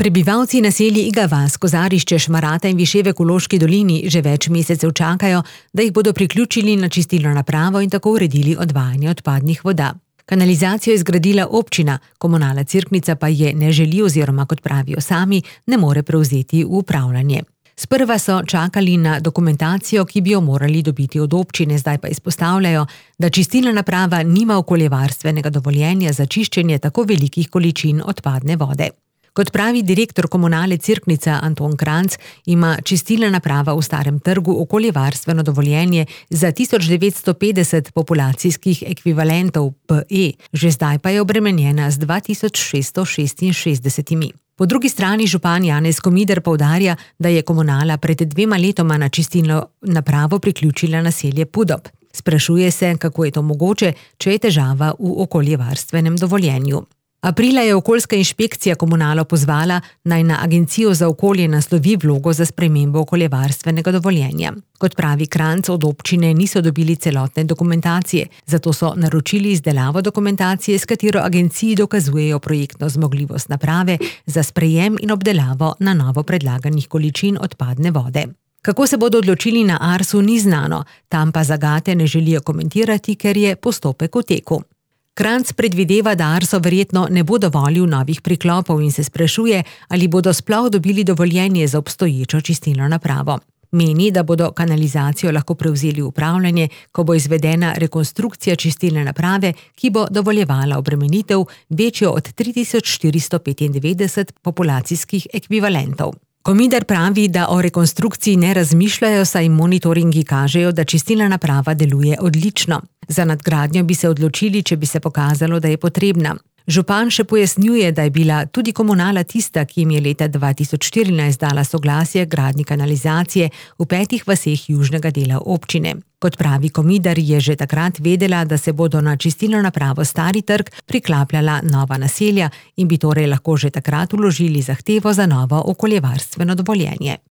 Prebivalci naselij Iga vas, Kozarišče, Šmarata in Višje v Ekološki dolini že več mesecev čakajo, da jih bodo priključili na čistilno napravo in tako uredili odvajanje odpadnih voda. Kanalizacijo je zgradila občina, Komunala Cerknica pa je ne želi oziroma, kot pravijo sami, ne more prevzeti v upravljanje. Sprva so čakali na dokumentacijo, ki bi jo morali dobiti od občine, zdaj pa izpostavljajo, da čistilna naprava nima okoljevarstvenega dovoljenja za čiščenje tako velikih količin odpadne vode. Kot pravi direktor Komunale Cerknica Anton Kranc, ima čistilna naprava v Starem trgu okoljevarstveno dovoljenje za 1950 populacijskih ekvivalentov PE, že zdaj pa je obremenjena z 2666. Po drugi strani župan Janez Komider poudarja, da je Komunala pred 2 letoma na čistilno napravo priključila naselje Pudob. Sprašuje se, kako je to mogoče, če je težava v okoljevarstvenem dovoljenju. Aprila je okoljska inšpekcija Komunalo pozvala, naj na Agencijo za okolje naslovi vlogo za spremembo okoljevarstvenega dovoljenja. Kot pravi Kranc, od občine niso dobili celotne dokumentacije, zato so naročili izdelavo dokumentacije, s katero agenciji dokazujejo projektno zmogljivost naprave za sprejem in obdelavo na novo predlaganih količin odpadne vode. Kako se bodo odločili na Arsu, ni znano, tam pa zagate ne želijo komentirati, ker je postopek v teku. Kranc predvideva, da Arso verjetno ne bo dovolil novih priklopov in se sprašuje, ali bodo sploh dobili dovoljenje za obstoječo čistilno napravo. Meni, da bodo kanalizacijo lahko prevzeli v upravljanje, ko bo izvedena rekonstrukcija čistilne naprave, ki bo dovoljevala obremenitev večjo od 3495 populacijskih ekvivalentov. Komider pravi, da o rekonstrukciji ne razmišljajo, saj monitoringi kažejo, da čistilna naprava deluje odlično. Za nadgradnjo bi se odločili, če bi se pokazalo, da je potrebna. Župan še pojasnjuje, da je bila tudi Komunala tista, ki jim je leta 2014 dala soglasje gradnji kanalizacije v 5 vaseh južnega dela občine. Kot pravi Komider, je že takrat vedela, da se bodo na čistilno napravo Stari trg priklapljala nova naselja in bi torej lahko že takrat vložili zahtevo za novo okoljevarstveno dovoljenje.